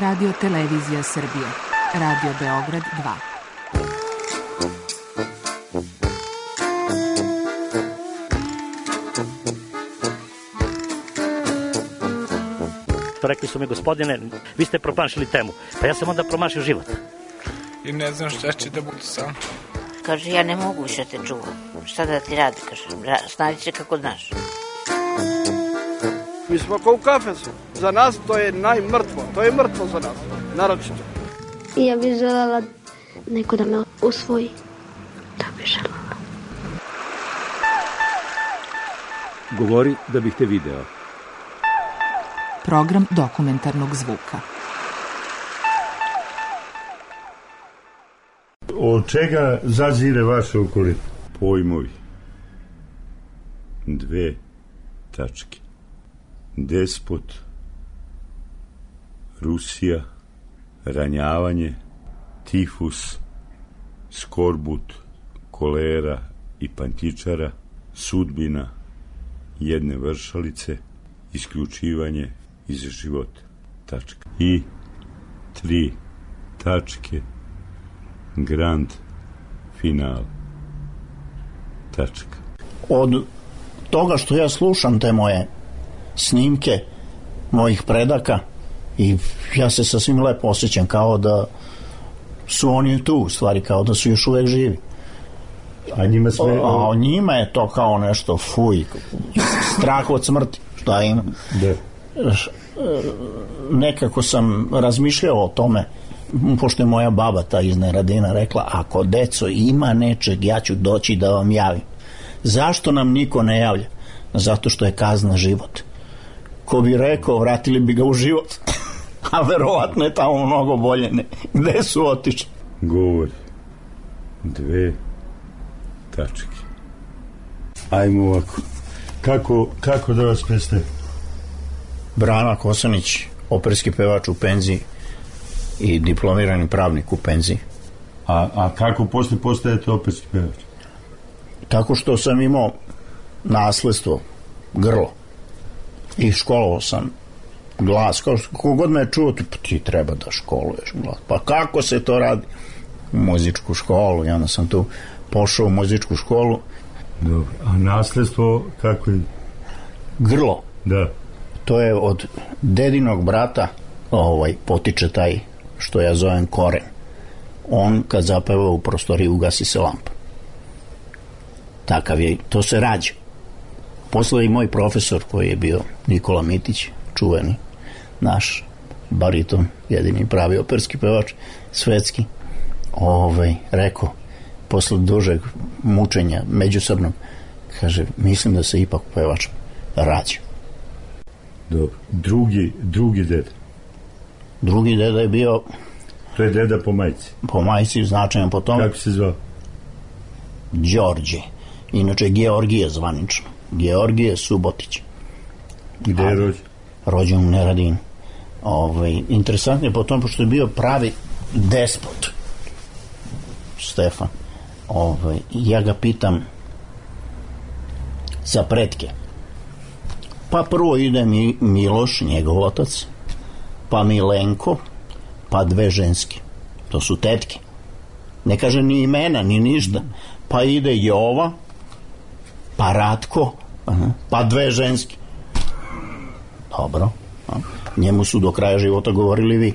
Radio Televizija Srbije, Radio Beograd 2. Rekli su mi, gospodine, vi ste promašili temu. Pa ja sam onda promašio život. I ne znam šta će da bude sam. Kaže, ja ne mogu više te čuvam. Šta da ti radi, kaže, snađi se kako znaš. Mi smo kao u kafesu. Za nas to je najmrtvo. To je mrtvo za nas, naročito. Ja bih želela neko da me usvoji. Da bih želela. Govori da bih te video. Program dokumentarnog zvuka. Od čega zazire vaše okolina? Pojmovi. 2 tačke. Despot, Rusija, ranjavanje, tifus, skorbut, kolera i pantičara, sudbina jedne vršalice, isključivanje iz života. Tačka. I 3 tačke. Grand final. Tačka. Od toga što ja slušam te moje snimke mojih predaka i ja se sasvim lepo osjećam kao da su oni tu, u stvari kao da su još uvek živi. A njima sve... A njima je to kao nešto fuj, strah od smrti. Šta ima? Da. Nekako sam razmišljao o tome, pošto je moja baba ta iz Neradina rekla, ako deco ima nečeg, ja ću doći da vam javim. Zašto nam niko ne javlja? Zato što je kazna život. Ko bi rekao, vratili bi ga u život. A verovatno je tamo mnogo bolje. Gde su otišli? Govori. 2 tačke. Ajmo ovako. Kako da vas predstavim? Brana Kosanić, operski pevač u penziji i diplomirani pravnik u penziji. A kako postajete operski pevač? Tako što sam imao nasledstvo, grlo, i školovao sam glas. Kogod me je čuo, ti treba da školuješ glas. Pa kako se to radi? U muzičku školu, i onda sam tu pošao u muzičku školu. Dobro, a nasledstvo kako je? Grlo. Da. To je od dedinog brata, potiče taj, što ja zovem koren. On kad zapeva u prostoriji ugasi se lampa. Takav je, to se rađa. Posle i moj profesor koji je bio Nikola Mitić, čuveni naš bariton, jedini pravi operski pevač, svetski, rekao, posle dužeg mučenja međusobnog, kaže, mislim da se ipak pevač rađa. Dobro. Drugi deda? Drugi deda je bio... To je deda po majci? Po majci, značajan po tome. Kako se zvao? Đorđe. Inače, Georgije zvanično. Georgije Subotić. Gde je rođen? Rođen u Neradinu. Interesantno je po tom, pošto je bio pravi despot. Stefan. Ja ga pitam za pretke. Pa prvo ide Miloš, njegov otac, pa Milenko, pa 2 ženske. To su tetke. Ne kaže ni imena, ni ništa. Pa ide Jova, pa Ratko, pa 2 ženske. Dobro. Njemu su do kraja života govorili vi.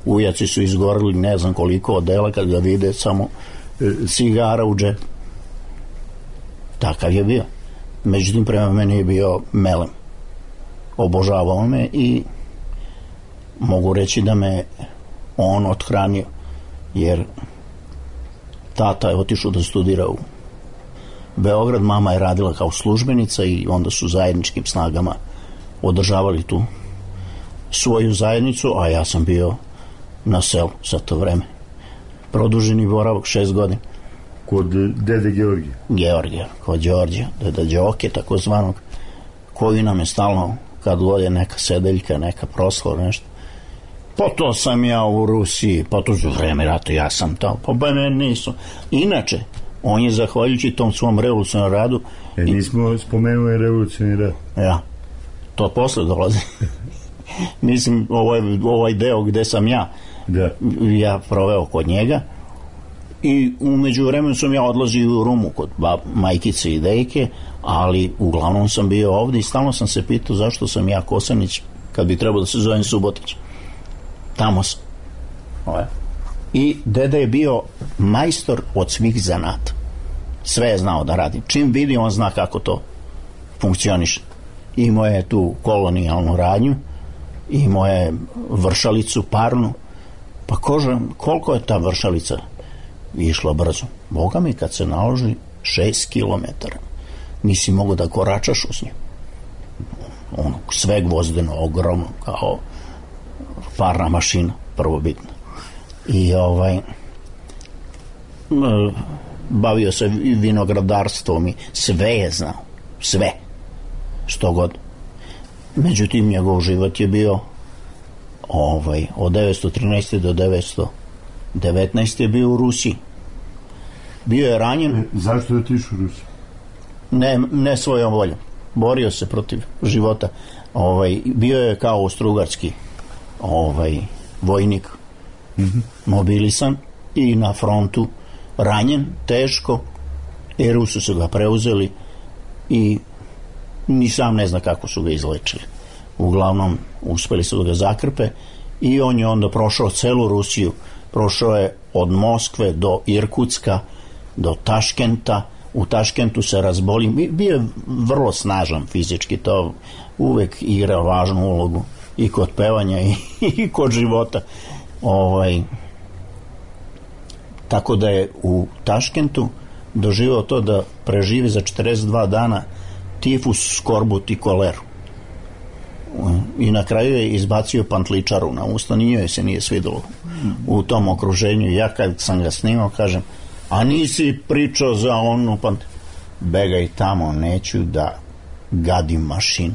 Ujaci su izgorili ne znam koliko odela kad ga vide samo cigara u džepu. Takav je bio. Međutim, prema meni je bio melem. Obožavao me i mogu reći da me on othranio, jer tata je otišao da studira u Beograd, mama je radila kao službenica i onda su zajedničkim snagama održavali tu svoju zajednicu, a ja sam bio na selu za to vreme. Produženi boravak 6 godina. Kod dede Georgija? Georgija, kod Đorđa, deda Đoke, takozvanog, koji nam je stalno, kad god je neka sedeljka, neka proslava, nešto. Pa to sam ja u Rusiji, pa to za vreme rata ja sam tamo, pa mene nisu. Inače, on je zahvaljujući tom svom revolucionarnom radu... Nismo spomenuli revolucionarni rad. Ja, to posle dolazi. mislim, ovaj deo gde sam ja proveo kod njega. I umeđu vremenu sam ja odlazio u Rumu kod majkice i dejke, ali uglavnom sam bio ovde i stalno sam se pitao zašto sam ja Kosanić kad bi trebao da se zovem Subotić. Tamo sam. I deda je bio majstor od svih zanata. Sve je znao da radi. Čim vidi, on zna kako to funkcioniše. Imao je tu kolonijalnu radnju, imao je vršalicu parnu. Pa koliko je ta vršalica išla brzo? Boga mi, kad se naloži 6 kilometara, nisi mogo da koračaš uz nju. Ono, sve gvozdeno, ogromno, kao parna mašina, prvobitna. I bavio se vinogradarstvom i sve je znao, sve, što god. Međutim, njegov život je bio od 913. do 919. je bio u Rusiji. Bio je ranjen. Zašto je otišao u Rusiju? Ne svojom voljom. Borio se protiv života. Bio je kao austrougarski vojnik, mobilisan i na frontu ranjen, teško, i Rusi su ga preuzeli i ni sam ne zna kako su ga izlečili. Uglavnom, uspeli su da ga zakrpe i on je onda prošao celu Rusiju. Prošao je od Moskve do Irkutska, do Taškenta. U Taškentu se razboli. Bio je vrlo snažan fizički, to uvek igra važnu ulogu i kod pevanja i kod života. Tako da je u Taškentu doživao to da preživi za 42 dana tifus, skorbut i koleru. I na kraju je izbacio pantličaru na usta, nije se nije svidelo u tom okruženju. Ja kad sam ga snimao, kažem, a nisi pričao za onu begaj tamo, neću da gadim mašinu.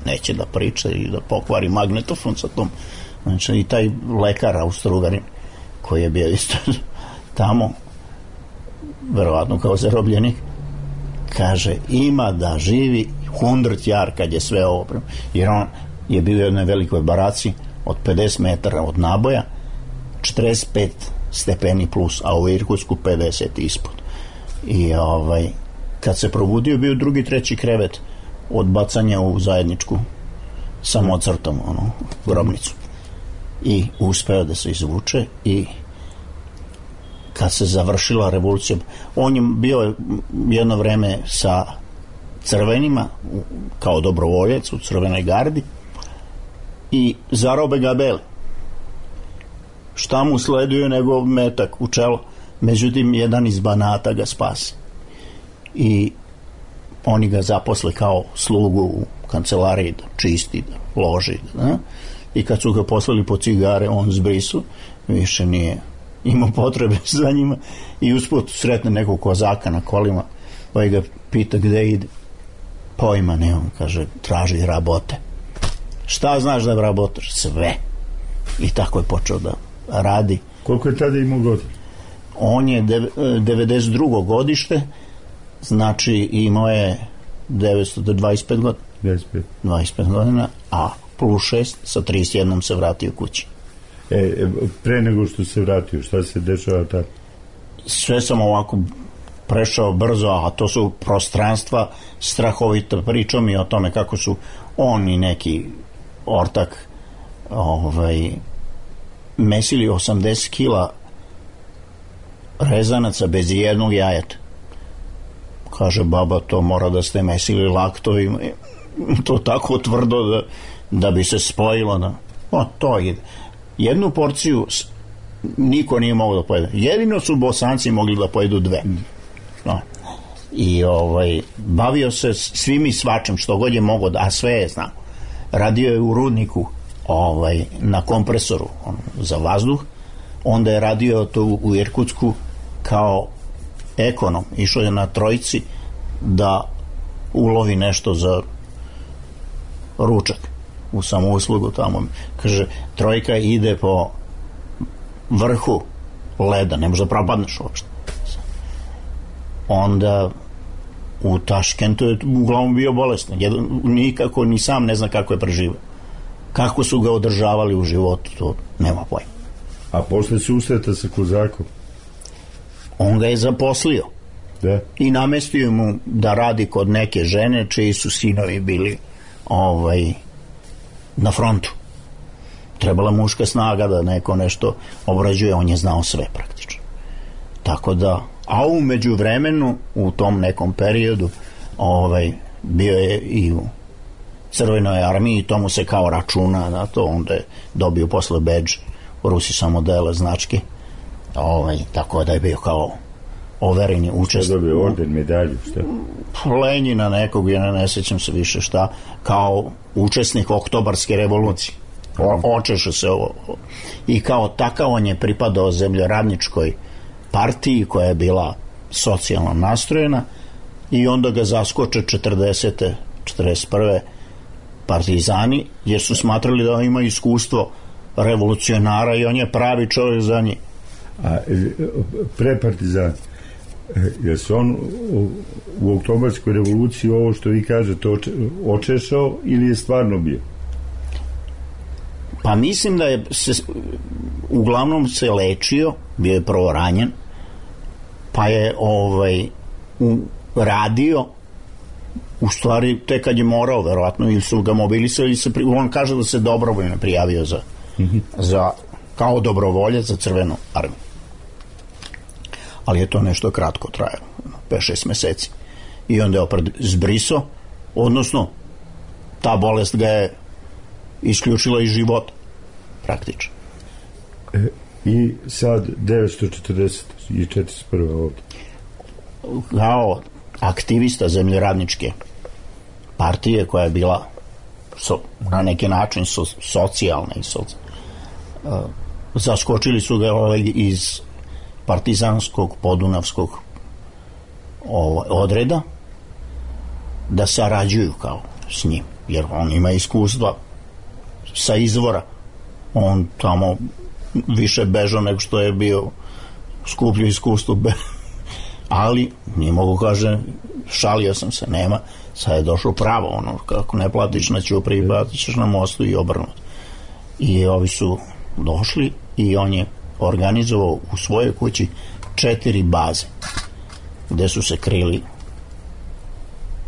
Neće da priča i da pokvari magnetofon sa tom. Znači, i taj lekar Austrougarin koji je bio isto tamo, verovatno kao zarobljenik, kaže, ima da živi 100 jar kad je sve ovo. Jer on je bio u jednoj velikoj baraci od 50 metara od naboja, 45 stepeni plus, a u Irkutsku 50 ispod. I kad se probudio, bio drugi, treći krevet od bacanja u zajedničku samocrtom grobnicu. I uspeo da se izvuče i kad se završila revolucija, on je bio jedno vreme sa crvenima kao dobrovoljac u Crvenoj gardi i zarobe ga beli. Šta mu sleduju nego metak u čelo. Međutim, jedan iz Banata ga spasi i oni ga zaposle kao slugu u kancelariji da čisti, da loži, i kad su ga poslali po cigare, on zbrisu, više nije imao potrebe za njima i usput sretne nekog kozaka na kolima, pa ga pita gde ide. Pojma nemam, kaže, traži rabote. Šta znaš da rabotaš? Sve. I tako je počeo da radi. Koliko je tada imao godina? On je 92. godište, znači imao je 925 godina. 25 godina, a plus 6, sa 31 se vratio kući. Pre nego što se vratio, šta se dešava tada? Sve sam ovako prešao brzo, a to su prostranstva strahovita. Pričao mi o tome kako su on i neki ortak mesili 80 kila rezanaca bez jednog jajeta. Kaže, baba, to mora da ste mesili laktovima, to tako tvrdo da bi se spojilo. To ide. Jednu porciju niko nije mogao da pojede. Jedino su Bosanci mogli da pojedu 2. I bavio se svim i svačim što god je mogao, a sve je znao. Radio je u rudniku na kompresoru za vazduh, onda je radio to u Irkutsku kao ekonom. Išao je na Trojici da ulovi nešto za ručak u samouslugu tamo. Kaže, Trojka ide po vrhu leda, ne može da propadneš uopšte. Onda u Taškentu je uglavnom bio bolestan. Nikako, ni sam ne zna kako je preživao. Kako su ga održavali u životu, to nema pojma. A posle susreta sa Kozakom? On ga je zaposlio. Da. I namestio mu da radi kod neke žene čiji su sinovi bili na frontu. Trebala muška snaga da neko nešto obrađuje, on je znao sve praktično. Tako da, a u međuvremenu, u tom nekom periodu, bio je i u Crvenoj armiji i to mu se kao računa na to, onda je dobio posle bedž, Rusi samo dele značke, tako da je bio kao overeni učesnik. Šta dobio orden, medalju, šta? Lenjina nekog, ja ne sećam se više šta, kao učesnik Oktobarske revolucije. Očeše se ovo. I kao takav on je pripadao zemljoradničkoj partiji koja je bila socijalno nastrojena i onda ga zaskoče 40. 41. partizani, jer su smatrali da ima iskustvo revolucionara i on je pravi čovjek za njih. A pre partizani, je se on u Oktobarskoj revoluciji ovo što vi kažete očešao ili je stvarno bio? Pa mislim da je uglavnom se lečio, bio je prvo ranjen, pa je radio u stvari tek kad je morao verovatno, ili su ga mobilisali, on kaže da se dobrovoljno prijavio za kao dobrovoljac za Crvenu armiju, ali je to nešto kratko trajalo, 5-6 meseci, i onda je opet zbrisao, odnosno ta bolest ga je isključila iz života praktično. I sad 940 i 41. ovdje kao aktivista zemljoradničke partije koja je bila na neki način socijalna i zaskočili su ga iz partizanskog podunavskog odreda da sarađuju kao s njim, jer on ima iskustva sa izvora, on tamo više bežao nego što je bio skuplju iskustvo, ali nije mogu kaže, šalio sam se, nema, sad je došlo pravo, kako ne platiš na ćupri, platiš na mostu i obrnuto. I ovi su došli i on je organizovao u svojoj kući 4 baze gde su se krili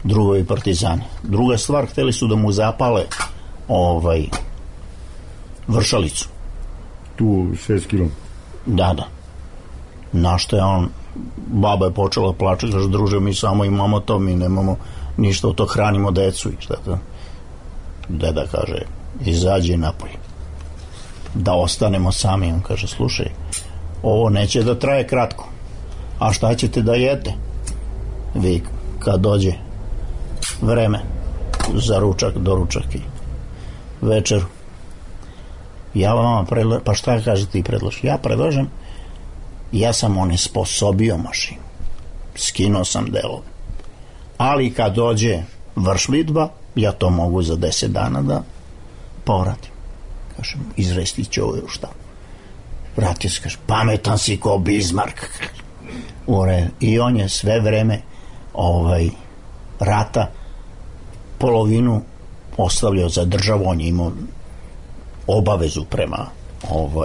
drugovi partizani. Druga stvar, hteli su da mu zapale Vršalicu. Tu 6 km. Da. Na što je on, baba je počela plače, kaže, druže, mi samo imamo to, mi nemamo ništa od to, hranimo decu i šta to. Deda kaže, izađi napolje, da ostanemo sami. On kaže, slušaj, ovo neće da traje kratko, a šta ćete da jete vi kad dođe vreme za ručak, doručak i večeru? Ja vama pa šta kaže ti predloži? Ja predlažem, ja sam onesposobio mašinu, skinuo sam delove, ali kad dođe vršlidba, ja to mogu za 10 dana da povratim. Kažem, izrestit ću ovo šta. Vratio se, kaže, pametan si ko Bismarck. I on je sve vreme rata polovinu ostavljao za državu, on je imao obavezu prema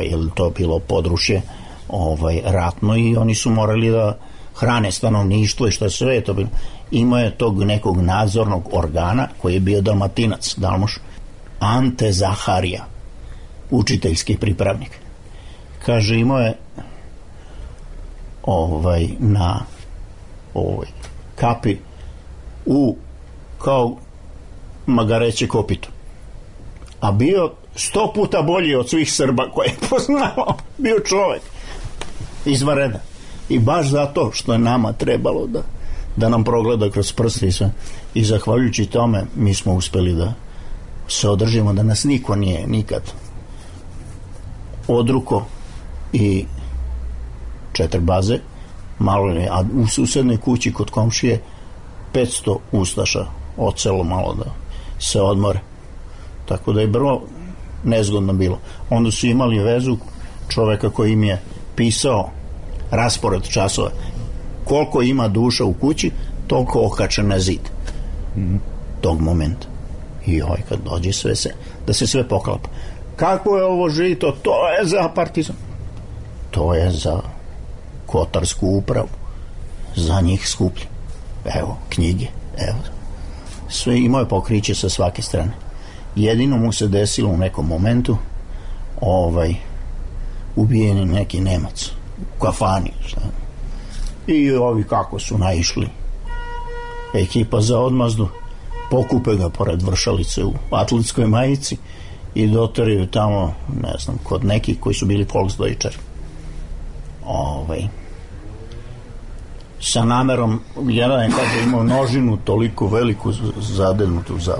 jer to bilo područje ratno i oni su morali da hrane stanovništvo i što sve je to bilo. Imao je tog nekog nadzornog organa koji je bio Dalmatinac, Dalmoš, Ante Zaharija, učiteljski pripravnik. Kaže, imao je na kapi kao magareće kopito, a bio 100 puta bolji od svih Srba koje je poznao, bio čovek izvanredan. I baš zato što je nama trebalo da nam progleda kroz prste i sve, i zahvaljujući tome mi smo uspeli da se održimo, da nas niko nije nikad odruko. I 4 baze malo je, a u susednoj kući kod komšije 500 ustaša odselo malo da se odmore, tako da je vrlo nezgodno bilo. Onda su imali vezu čoveka koji im je pisao raspored časova, koliko ima duša u kući, toliko okačen na zid tog momenta. I kad dođe sve se, da se sve poklapa. Kako je ovo žito? To je za partizan. To je za Kotarsku upravu. Za njih skuplje. Evo, knjige, evo. Sve imao je pokriće sa svake strane. Jedino mu se desilo u nekom momentu ubijen je neki Nemac u kafani, šta? I ovi kako su naišli, ekipa za odmazdu, pokupe ga pored Vršalice u atletskoj majici i doteraju tamo, ne znam, kod nekih koji su bili Volksdeutscher. Sa namerom, jedan je kada imao nožinu toliko veliku zadednutu za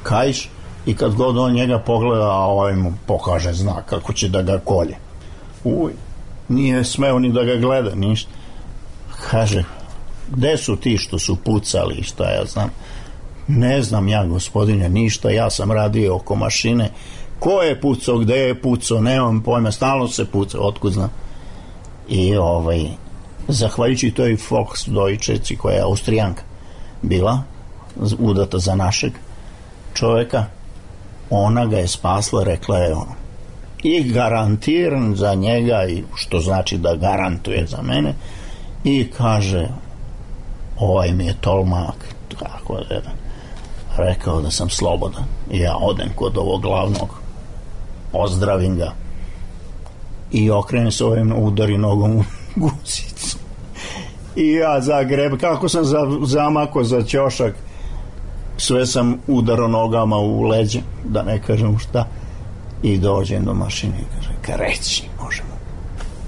kaiš, i kad god on njega pogleda, a ovaj mu pokaže znak kako će da ga kolje. Nije smeo ni da ga gleda, ništa. Kaže, gde su ti što su pucali, šta ja znam? Ne znam ja, gospodine, ništa, ja sam radio oko mašine. Ko je pucao, gde je pucao, nemam pojma, stalno se pucao, otkud znam. I zahvaljujući toj Volksdeutscherici koja je Austrijanka bila, udata za našeg čoveka, ona ga je spasla, rekla je i garantiram za njega, i što znači da garantuje za mene, i kaže, ovaj mi je tolmak, tako je rekao da sam slobodan. I ja odem kod ovog glavnog, ozdravim ga i okrenem se ovim, udari nogom u guzicu i ja zagreb, kako sam zamako za ćošak, sve sam udarao nogama u leđe, da ne kažem šta, i dođem do mašine i kaže, kreći, možemo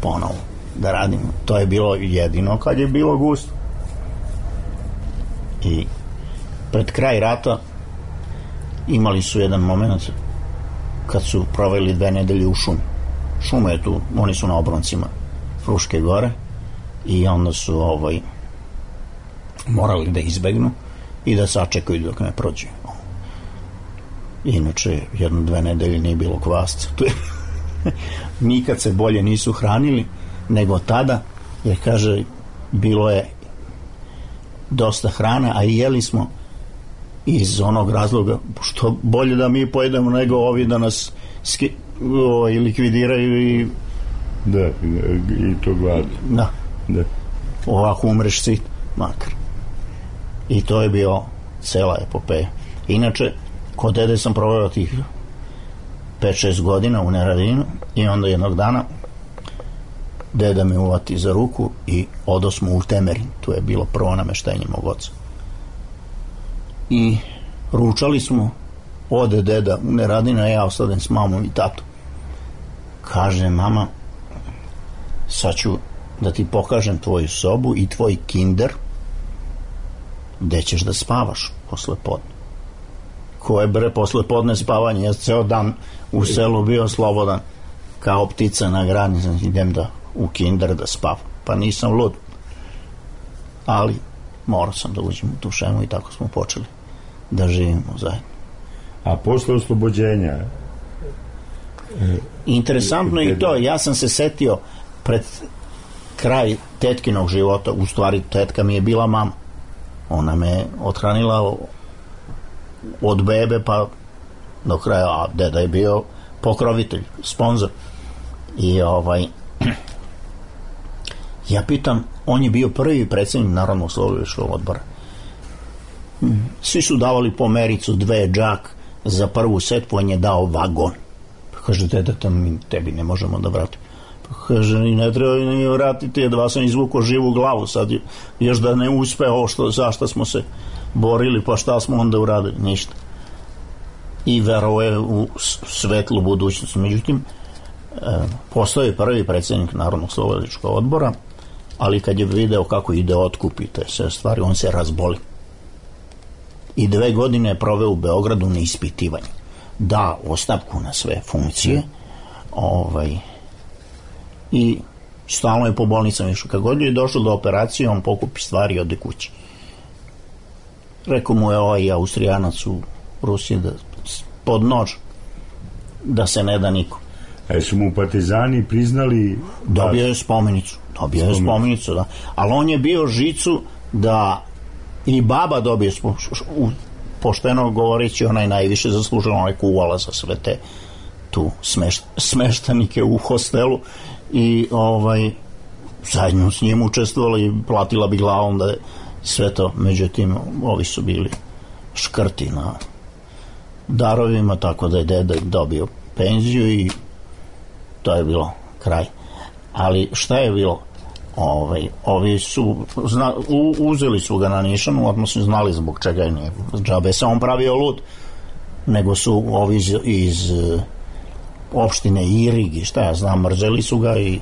ponovo da radimo. To je bilo jedino kad je bilo gusto. I pred kraj rata imali su jedan moment kad su proveli 2 nedelje u šumi. Šuma je tu, oni su na obroncima Fruške gore, i onda su morali da izbegnu i da sačekaju dok ne prođe. Inače, 1-2 nedelje nije bilo kvasca. Nikad se bolje nisu hranili nego tada, jer kaže, bilo je dosta hrane, a i jeli smo iz onog razloga što bolje da mi pojedemo nego ovi da nas likvidiraju i to glad. Da. Ovako umreš sit, makar. I to je bio cela epopeja. Inače, kod dede sam proveo tih 5-6 godina u Neradinu, i onda jednog dana deda me uvati za ruku i odosmo u Temerin. Tu je bilo prvo nameštenje mog oca. I ručali smo, ode deda u Neradinu, a ja ostanem s mamom i tatom. Kaže, mama, sad ću da ti pokažem tvoju sobu i tvoj kinder, gde ćeš da spavaš posle podne. Ko je bre posle podne spavanje? Ja ceo dan u selu bio slobodan kao ptica na grani, idem u kinder da spavam. Pa nisam lud, ali morao sam da uđem u tu šemu i tako smo počeli da živimo zajedno. A posle oslobođenja? Interesantno i to, ja sam se setio pred kraj tetkinog života, u stvari tetka mi je bila mama. Ona me othranila od bebe pa do kraja, a deda je bio pokrovitelj, sponzor. I ja pitam, on je bio prvi predsjednik Narodnog oslobodilačkog odbora. Svi su davali po mericu 2 džak za prvu setvu, on je dao vagon. Kaže, deda, tebi ne možemo da vratimo. Kaže, ne treba ni vratiti, jedva sam izvukao živu glavu, sad još da ne uspe ovo zašto smo se borili, pa šta smo onda uradili, ništa. I verovao u svetlu budućnost. Međutim, postao je prvi predsjednik Narodnog oslobodilačkog odbora, ali kad je video kako ide otkup i te sve stvari, on se razboli. I 2 godine je proveo u Beogradu na ispitivanju. Da ostavku na sve funkcije, i stalno je po bolnicama išao. Kad god je došlo do operacije, on pokupi stvari i ode kući. Rekao mu je ovaj Austrijanac u Rusiji da pod nož da se ne da niko. A su mu partizani priznali? Dobio je spomenicu. Da. Ali on je bio žicu da i baba dobije pošteno govoreći, onaj najviše zaslužila, onaj kuvala za sve te tu smeštanike u hostelu i zajedno s njim učestvovala i platila bi glavom da je sve to. Međutim, ovi su bili škrti na darovima, tako da je deda dobio penziju i to je bilo kraj. Ali šta je bilo? Ovi su uzeli su ga na nišanu, odmah su znali zbog čega je nije džabe se on pravio lud, nego su ovi iz opštine Irig i šta ja znam, mrzeli su ga i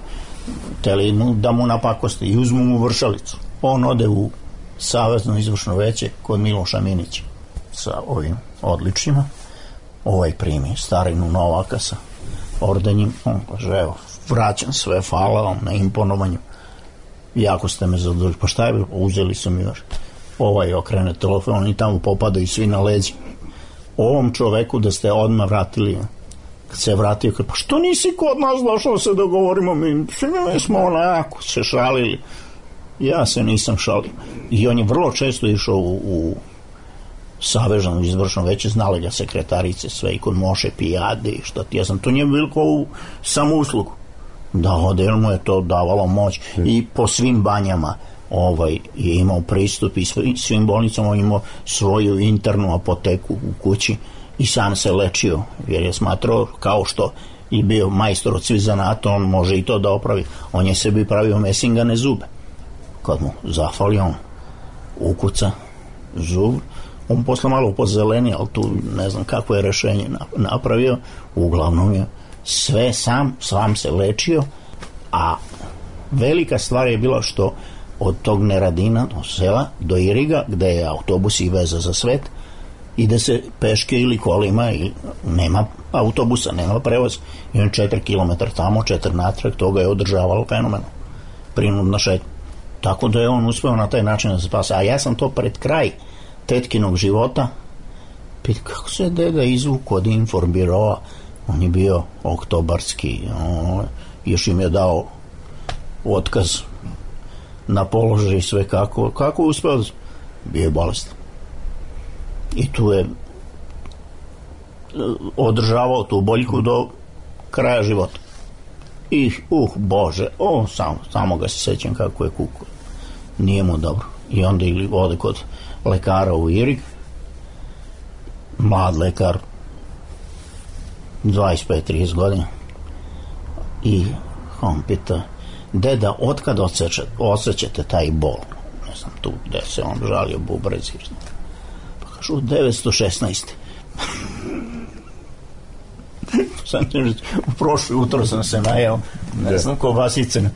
hteli da mu napakosti i uzmu mu vršalicu. On ode u savezno izvršno veće kod Miloša Minića sa ovim odličnjima, primi starinu Novaka sa ordenjem, on kaže, evo, vraćam sve, hvala vam na imponovanju, jako ste me zadovoljili. Pa šta je bilo? Uzeli su mi još. Okrene telefon, oni tamo popadaju svi na leđi. Ovom čoveku da ste odmah vratili, kad se vratio, kaže, pa što nisi kod nas došao se dogovorimo, mi smo onako se šalili. Ja se nisam šalio. I on je vrlo često išao u savezno izvršno veće, znali ga sekretarice sve i kod Moše Pijade i šta ti ja sam, to nije bilo kao u samouslugu. Da, ode, mu je to davalo moć i po svim banjama je imao pristup i svim bolnicama, on imao svoju internu apoteku u kući i sam se lečio, jer je smatrao, kao što je bio majstor od svih zanata, on može i to da opravi. On je sebi pravio mesingane zube. Kad mu zafali, on ukuca zub, on posle malo pozeleni, ali tu ne znam kako je rešenje napravio, uglavnom je sve sam se lečio, a velika stvar je bila što od tog Neradina, od sela, do Iriga, gde je autobus i veza za svet, ide se peške ili kolima i nema autobusa, nema prevoz, i on 4 km tamo, 4 natrag, toga je održavalo fenomeno, prinudna šetnja. Tako da je on uspeo na taj način da se spasa. A ja sam to pred kraj tetkinog života, kako se deda izvuku od informbiroa, on je bio oktobarski, još im je dao otkaz na položaj i sve kako je uspeo, bio je bolestan. I tu je održavao tu boljku do kraja života. I, Bože, samo ga se sećam kako je kukao. Nije mu dobro. I onda ili ode kod lekara u Irig, mlad lekar, 25-30 godina, i on pita, deda, otkad osjećate taj bol? Ne znam, tu gde se on žalio bubrezi. Pa kažu, 916. U prošli utro sam se najeo, ne znam, kobasice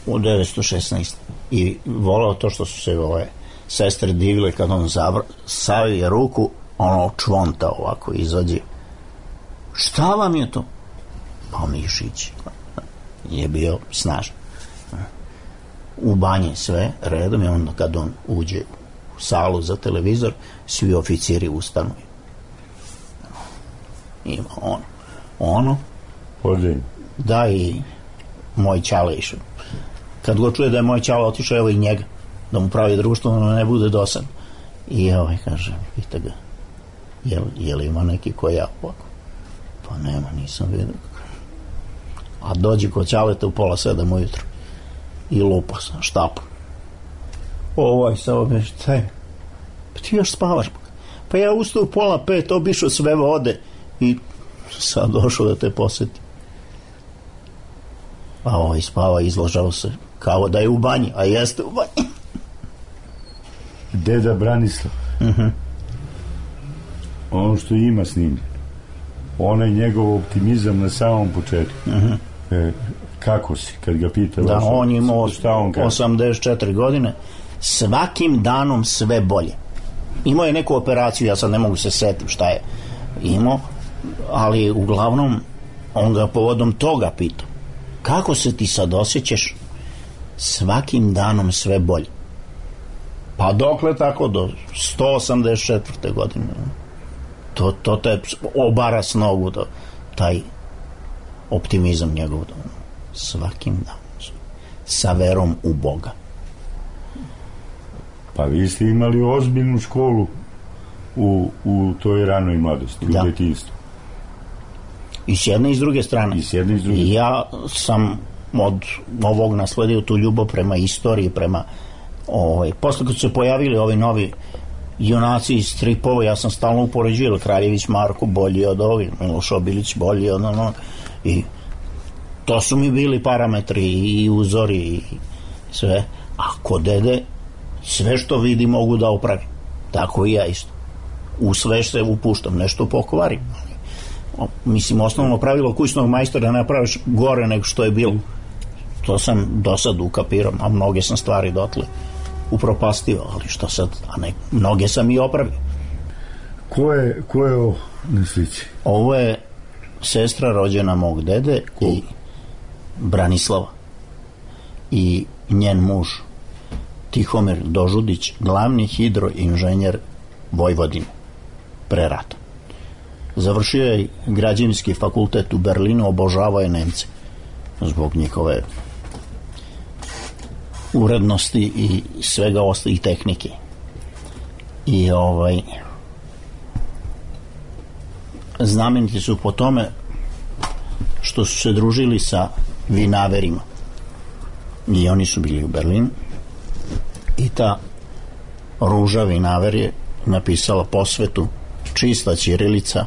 u 916. I volao to što su se sestre divile kad on savije ruku, ono čvonta ovako izađe. Šta vam je to? Pa mišić. Je bio snažan. U banji sve redom, i onda kad on uđe u salu za televizor, svi oficiri ustanu. Ima ono da, i moj ćale išao. Kad go čuje da je moj ćale otišao, evo i njega, da mu pravi društvo, ono ne bude dosadno. I kaže, pita ga, je li ima neki ko ja ovako? Pa nema, nisam vidio. A dođe kod ćaleta u 6:30 ujutro i lupa sa štapom. Samo me, šta je? Pa ti još spavaš? Pa ja ustao u 4:30, obišao sve vode i sad došao da te poseti. A spava, izlažao se kao da je u banji, a jeste u banji. Deda Branislav, ono što ima s njim, onaj njegov optimizam na samom početku, kako si, kad ga pita, da, on je imao 84 godine, svakim danom sve bolje. Imao je neku operaciju, ja sad ne mogu se setim šta je imao, ali uglavnom on ga povodom toga pitao, kako se ti sad osjećaš? Svakim danom sve bolje. Pa dokle tako, do 184. godine. To te obara s nogu, taj optimizam njegov. Svakim danom. Sa verom u Boga. Pa vi ste imali ozbiljnu školu u toj ranoj mladosti, u detinjstvu. I s jedne i s druge strane. I ja sam od ovog nasledio tu ljubav prema istoriji, prema posle kad su se pojavili ovi novi junaci iz stripova, ja sam stalno upoređivao Kraljević Marko bolji od ovih, Miloš Obilić bolji od i to su mi bili parametri i uzori i sve, a kod dede sve što vidi mogu da opravim, tako i ja isto, u sve se upuštam, nešto pokvarim, mislim osnovno pravilo kućnog majstora ne praviš gore nego što je bilo, to sam do sad ukapirao, a mnoge sam stvari dotle upropastio, ali što sad, a ne, mnoge sam i opravio. Ko je ovo na slici? Ovo je sestra rođena mog dede i Branislava i njen muž Tihomir Dožudić, glavni hidroinženjer Vojvodine pre rata. Završio je građevinski fakultet u Berlinu, obožavao je Nemce zbog njihove urednosti i svega ostalih tehnike. I znameniti su po tome što su se družili sa vinaverima. I oni su bili u Berlinu. I ta Ruža vinaver je napisala posvetu, čista ćirilica,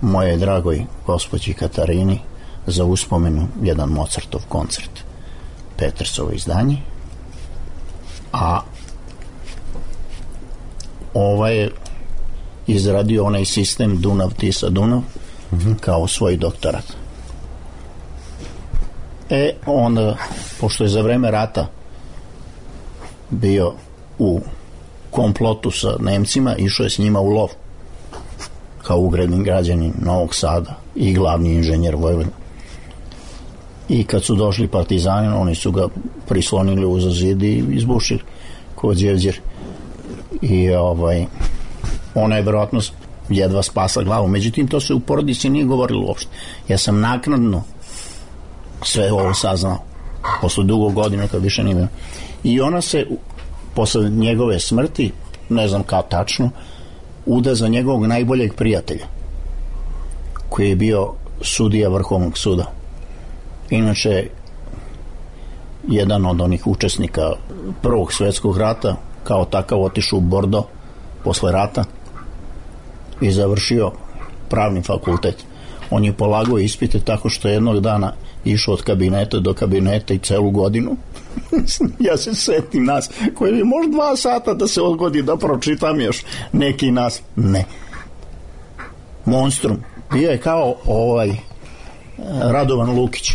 moje dragoj gospođi Katarini, za uspomenu jedan Mozartov koncert, Petersovo izdanje, a je izradio onaj sistem Dunav-Tisa-Dunav kao svoj doktorat. Onda, pošto je za vreme rata bio u komplotu sa Nemcima, išao je s njima u lov kao ugledni građanin Novog Sada i glavni inženjer Vojvodine. I kad su došli partizani, oni su ga prislonili uza zid i izbušili kod Đevđer. I ona je verovatno jedva spasla glavu. Međutim, to se u porodici nije govorilo uopšte. Ja sam naknadno sve ovo saznao posle dugo godina kad više nije. I ona se posle njegove smrti, ne znam kao tačno, uda za njegovog najboljeg prijatelja koji je bio sudija Vrhovnog suda. Inače, jedan od onih učesnika Prvog svjetskog rata, kao takav otišao u Bordo posle rata i završio pravni fakultet. On je polagao ispite tako što jednog dana išao od kabineta do kabineta i celu godinu. Ja se setim nas koji je možda 2 sata da se odgodi da pročitam još neki nas. Ne. Monstrum. Bio je kao Radovan Lukić.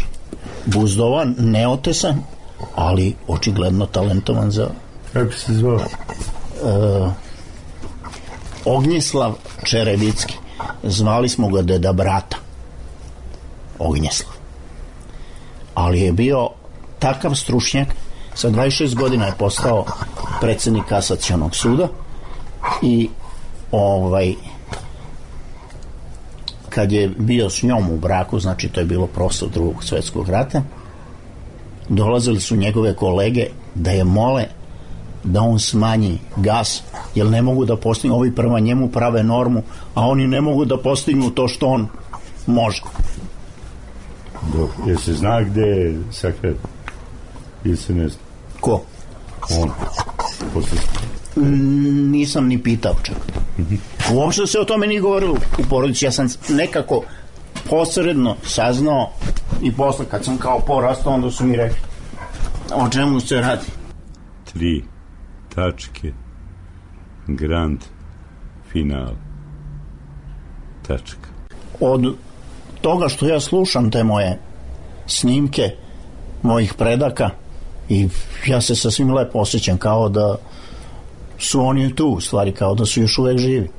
Buzdovan, neotesan, ali očigledno talentovan za... Kako se zvao? Ognjislav Čerebicki. Zvali smo ga deda brata. Ognjislav. Ali je bio takav stručnjak, sa 26 godina je postao predsjednik kasacionog suda i kad je bio s njom u braku, znači to je bilo prosto Drugog svjetskog rata, dolazili su njegove kolege da je mole da on smanji gas, jer ne mogu da postignu, ovi prema njemu prave normu, a oni ne mogu da postignu to što on može. Jel se zna gde je sakret? Ili se ne zna? Ko? On. Nisam ni pitao čak. Uopšte se o tome nije govorilo u porodici. Ja sam nekako posredno saznao i posle kad sam kao porastao, onda su mi rekli o čemu se radi. 3 tačke grand final tačka. Od toga što ja slušam te moje snimke mojih predaka i ja se sasvim lepo osjećam kao da su oni tu, u stvari kao da su još uvek živi.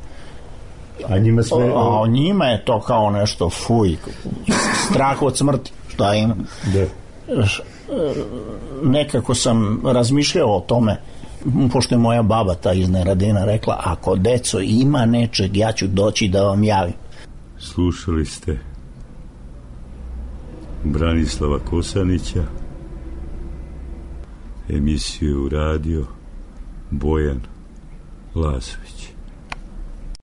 A njima sve... A njima je to kao nešto fuj, strah od smrti. Šta ima? Da. Nekako sam razmišljao o tome, pošto je moja baba ta iz Neradina rekla, ako deco ima nečeg, ja ću doći da vam javim. Slušali ste Branislava Kosanića, emisiju radio Bojan Lazović.